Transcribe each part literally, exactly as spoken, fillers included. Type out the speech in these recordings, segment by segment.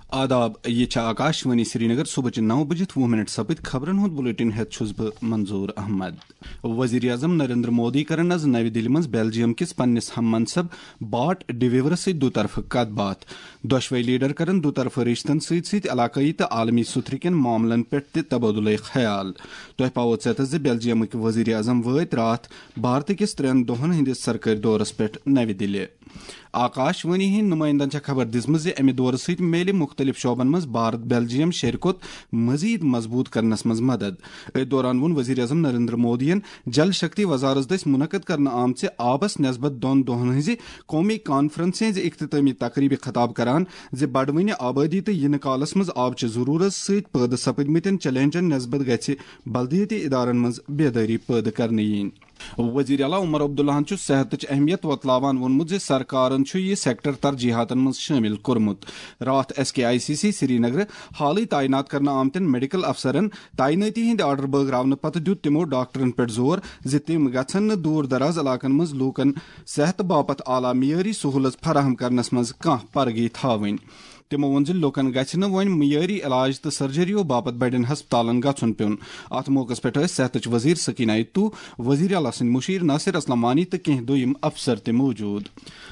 آداب، یہِ چھِ آکاش وانی سرینگر۔ صبحٕچہِ نَو بجِتھ وُہ منٹ سپٕدۍ خبرن ہُنٛد بلیٹن ہٮ۪تھ چھُس بہٕ منظور احمد۔ وزیر اعظم نریندر مودی کرن از نوِ دِلہِ منٛز بیلجیم کِس پننِس ہم منصب بارٹ ڈِویورس سۭتۍ دُطرفہٕ کتھ باتھ۔ دۄشوے لیڈر کرن دُطرفہٕ رشتن سۭتۍ سۭتۍ علاقٲیی تہٕ عالمی سُتھرٕ کٮ۪ن معاملن پٮ۪ٹھ تہِ تبادلہ خیال۔ تۄہہِ پاوو ژٮ۪تس زِ بیلجیمٕکۍ وزیر اعظم وٲتۍ راتھ بھارتہٕ کِس ترٛٮ۪ن دۄہن ہٕنٛدِس سرکٲرۍ دورس پٮ۪ٹھ نوِ دِلہِ۔ آکاش وانی ہٕنٛدۍ نُمٲیندن چھےٚ خبر دِژمٕژ زِ امہِ دورٕ سۭتۍ میلہِ مُختٔلِف شعبن منٛز بھارت بیلجیم شیرکت مزید مضبوط کرنس منٛز مدد۔ أتھۍ دوران ووٚن وزیر اعظم نریندر مودیَن جل شکتی وزارت دٔسۍ منعقد کرنہٕ آمژِ آبس نسبت دۄن دۄہن ہٕنٛزِ قومی کانفرنسہِ ہٕنٛزِ اختتٲمی تقریبہِ خطاب کران زِ بڑوٕنہِ آبٲدی تہٕ یِنہٕ کالس منٛز آبچہِ ضروٗرت سۭتۍ پٲدٕ سپدمٕتٮ۪ن چیلنجن نسبت گژھِ بلدیٲتی ادارن منٛز بیدٲری پٲدٕ کرنہٕ یِنۍ۔ وزیر اعلیٰ عمر عبداللہَن چھُ صحتٕچ اہمیت وۄتلاوان ووٚنمُت زِ سرکارن چھُ یہِ سیکٹر ترجیحاتن منٛز شٲمِل کوٚرمُت۔ راتھ S K I C C سرینگرٕ حالٕے تعینات کرنہٕ آمتٮ۪ن میڈیکل افسرن تعینٲتی ہٕنٛدۍ آرڈر بٲگراونہٕ پتہٕ دیُت تِمو ڈاکٹرن پٮ۪ٹھ زور زِ تِم گژھن نہٕ دوٗر دراز علاقن منٛز لوٗکن صحت باپتھ اعلیٰ معیٲری سہوٗلژ فراہم کرنس منٛز کانٛہہ پرگی تھاوٕنۍ۔ تِمو ووٚن زِ لوٗکن گژھِ نہٕ وۄنۍ معیٲری علاج تہٕ سرجریو باپتھ بڑٮ۪ن ہسپتالن گژھُن پیوٚن۔ اتھ موقعس پٮ۪ٹھ ٲسۍ صحتٕچ وزیر سکینہ عیتو، وزیر اعلیٰ سٕنٛدۍ مُشیر ناصر اسلم وانی تہٕ کینٛہہ دوٚیِم افسر تہِ موجود۔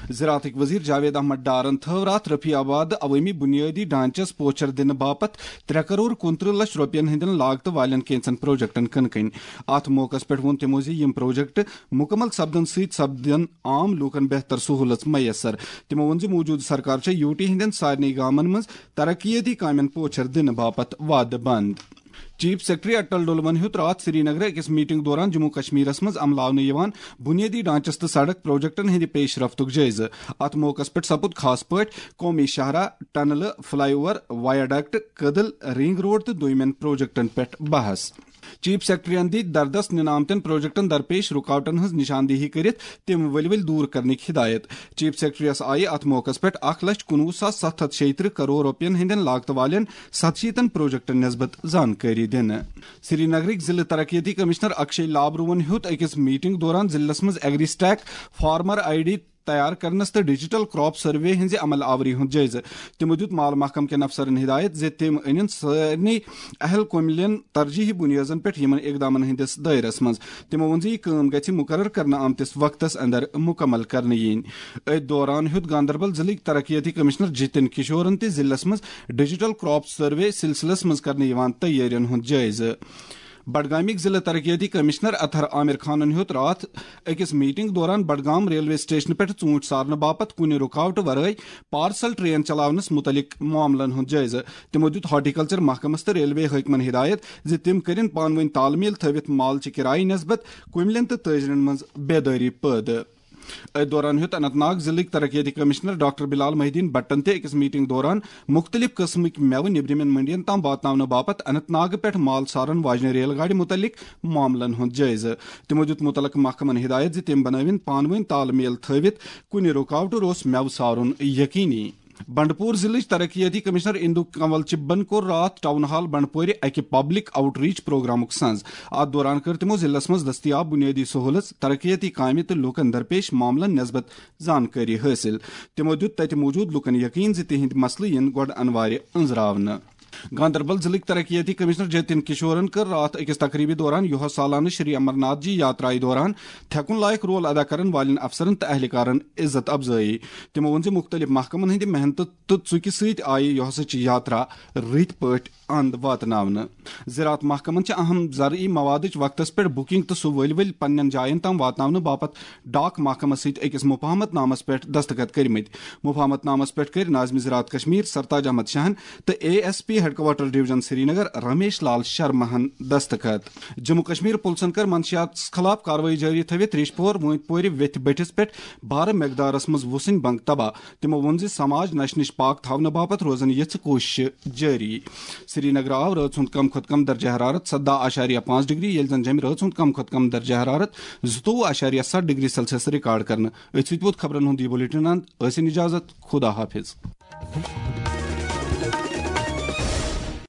زراعتٕکۍ وزیر جاوید احمد ڈارن تھٲو راتھ رفیع آباد عوٲمی بنیٲدی ڈھانچس پوچھر دِنہٕ باپتھ ترٛےٚ کرور کُنترٕہ لچھ رۄپین ہٕنٛدٮ۪ن لاگتہٕ والٮ۪ن کینٛژن پروجیکٹن کٕنہٕ کٕنۍ۔ اتھ موقعس پٮ۪ٹھ ووٚن تِمو زِ یِم پروجیکٹ مُکمل سپدن سۭتۍ سپدن عام لوٗکن بہتر سہوٗلژ میسر۔ تِمو ووٚن زِ موٗجوٗدٕ سرکار چھےٚ یوٗ ٹی ہٕنٛدٮ۪ن سارنٕے گامن منٛز ترقیٲتی کامٮ۪ن پوچھر دِنہٕ باپتھ وعدٕ بنٛد۔ چیف سیکرٹری اٹل ڈولون ہیوٚت راتھ سرینگرٕ أکِس میٹنگ دوران جموں کشمیرس منٛز عملاونہٕ یِوان بنیٲدی ڈھانچس تہٕ سڑک پروجیکٹن ہٕنٛدِ پیش رفتُک جٲیزٕ۔ اتھ موقعس پٮ۪ٹھ سپُد خاص پٲٹھۍ قومی شاہراہ، ٹنلہٕ، فلائی اوور، وایاڈکٹ، کدل، رنگ روڈ تہٕ دویمٮ۪ن پروجیکٹن پٮ۪ٹھ بحث۔ چیف سیکرٹریَن دِتۍ دردس نِنہٕ آمتٮ۪ن پروجیکٹن درپیش رُکاوٹن ہٕنٛز نشاندہی کٔرِتھ تِم ؤلۍ ؤلۍ دوٗر کرنٕکۍ ہدایت۔ چیف سیکرٹریَس آیہِ اتھ موقعس پٮ۪ٹھ اکھ لچھ کُنوُہ ساس ستھ ہتھ شیٚیہِ ترٕٛہ کرور رۄپین ہٕنٛدٮ۪ن لاگتہٕ والٮ۪ن ستشیٖتن پروجیکٹن نسبت زانکٲری دِنہٕ۔ سرینگرٕکۍ ضلعہٕ ترقیتی کمشنر اکشے لابروَن ہیوٚت أکِس میٹنگ دوران ضلعس منٛز agri stack farmer I D تیار کرنس تہٕ ڈیجیٹل کراپ سروے ہٕنٛزِ عمل آوری ہُنٛد جٲیزٕ۔ تِمو دیُت مال محکمہٕ کٮ۪ن افسرن ہدایت زِ تِم أنِن سارنٕے اہل کُملٮ۪ن ترجیحی بُنیٲدن پٮ۪ٹھ یِمن اقدامن ہٕنٛدِس دٲیرس منٛز۔ تِمو ووٚن زِ یہِ کٲم گژھِ مُقرر کرنہٕ آمتِس وقتس اندر مُکمل کرنہٕ یِنۍ۔ أتھۍ دوران ہیوٚت گاندربل ضلعٕکۍ ترقیتی کمشنر جتن کشورن تہِ ضلعس منٛز ڈیجیٹل کراپ سروے سلسلس منٛز کرنہٕ یِوان تیٲرین ہُنٛد جٲیزٕ۔ بڈگامٕکۍ ضلعہٕ ترقیتی کمشنر اطہر عامر خانن ہیوٚت راتھ أکِس میٹنگ دوران بڈگام ریلوے سٹیشنہٕ پٮ۪ٹھ ژوٗنٹھۍ سارنہٕ باپتھ کُنہِ رُکاوٹہٕ ورٲے پارسل ٹرین چلاونس مُتعلق معاملن ہُنٛد جٲیزٕ۔ تِمو دیُت ہارٹیکلچر محکمس تہٕ ریلوے حٲکمن ہدایت زِ تِم کٔرِن پانہٕ ؤنۍ تال میل تھٲوِتھ مالچہِ کرایہِ نسبت کُملٮ۪ن تہٕ تٲجرن منٛز بیدٲری پٲدٕ۔ أتھۍ دوران ہیوٚت اننت ناگ ضلعٕکۍ ترقیتی کمشنر ڈاکٹر بلال محی الدین بٹن تہِ أکِس میٹنگ دوران مُختٔلِف قٕسمٕکۍ مٮ۪وٕ نیٚبرِمٮ۪ن منڈین تام واتناونہٕ باپتھ اننت ناگہٕ پٮ۪ٹھ مال سارن واجنہِ ریل گاڑِ مُتعلق معاملن ہُنٛد جٲیزٕ۔ تِمو دیُت مُتعلقہٕ محکمن ہدایت زِ تِم بنٲوِن پانہٕ ؤنۍ تال میل تھٲوِتھ کُنہِ رُکاوٹہٕ روٚس مٮ۪وٕ سارُن یقینی۔ بنڈپور ضلعٕچ ترقیتی کمشنر اندو کنول چبن کوٚر راتھ ٹاؤن ہال بنڈپورِ اکہِ پبلک آؤٹ ریچ پروگرامُک سنز۔ اتھ دوران کٔر تِمو ضلعس منٛز دستیاب بنیٲدی سہولژ، ترقیتی کامہِ تہٕ لوٗکن درپیش معاملن نسبت زانکٲری حٲصِل۔ تِمو دیُت تتہِ موجود لوٗکن یقین زِ تِہنٛدۍ مسلہٕ یِن گۄڈٕ انوارِ أنٛزراونہٕ۔ گاندربل ضلعٕکۍ ترقیتی کمشنر جتن کشورن کٔر راتھ أکِس تقریبہِ دوران یُہس سالانہٕ شری امرناتھ جی یاترایہِ دوران تھٮ۪کُن لایق رول ادا کرن والٮ۪ن افسرن تہٕ اہلکارن عزت افزٲیی۔ تِمو ووٚن زِ مُختٔلِف محکمن ہٕنٛدِ محنتہٕ تہٕ ژُکہِ سۭتۍ آیہِ یُہسٕچ یاترا رٕتۍ پٲٹھۍ اند واتناونہٕ۔ زراعت محکمن چھِ اہم زرعی موادٕچ وقتس پٮ۪ٹھ بُکنگ تہٕ سُہ ؤلۍ ؤلۍ پننٮ۪ن جاین تام واتناونہٕ باپتھ ڈاک محکمس سۭتۍ أکِس مفاہمت نامس پٮ۪ٹھ دستخط کٔرمٕتۍ۔ مفاہمت نامس پٮ۪ٹھ کٔرۍ ناظمِ زراعت کشمیر سرتاج احمد شاہن تہٕ A S P headquarter division Srinagar Ramesh Lal شرماہن دستخط۔ جموں کشمیر پُلسن کٔر منشیاتس خلاف کاروٲیی جٲری تھٲوِتھ ریش پور وٲنۍ پورِ ویتھِ بٔٹھِس پٮ۪ٹھ بارٕ مقدارس منٛز وُسنۍ بنٛگ تباہ۔ تِمو ووٚن زِ سماج نشہِ نِش پاک تھاونہٕ باپتھ روزن یژھٕ کوٗششہٕ جٲری۔ سرینگر آو رٲژ ہُنٛد کم کھۄتہٕ کم درجہ حرارت سدہ اعشاریہ پانٛژھ ڈگری، ییٚلہِ زن جیٚمہِ رٲژ ہُنٛد کم کھۄتہٕ کم درجہ حرارت زٕتووُہ اعشاریہ ستھ ڈگری سیلسیس ریکارڈ کرنہٕ۔ أتھۍ سۭتۍ ووت خبرن ہُنٛد یہِ بُلیٹن اند۔ ٲسِو اجازت، خدا حافظ۔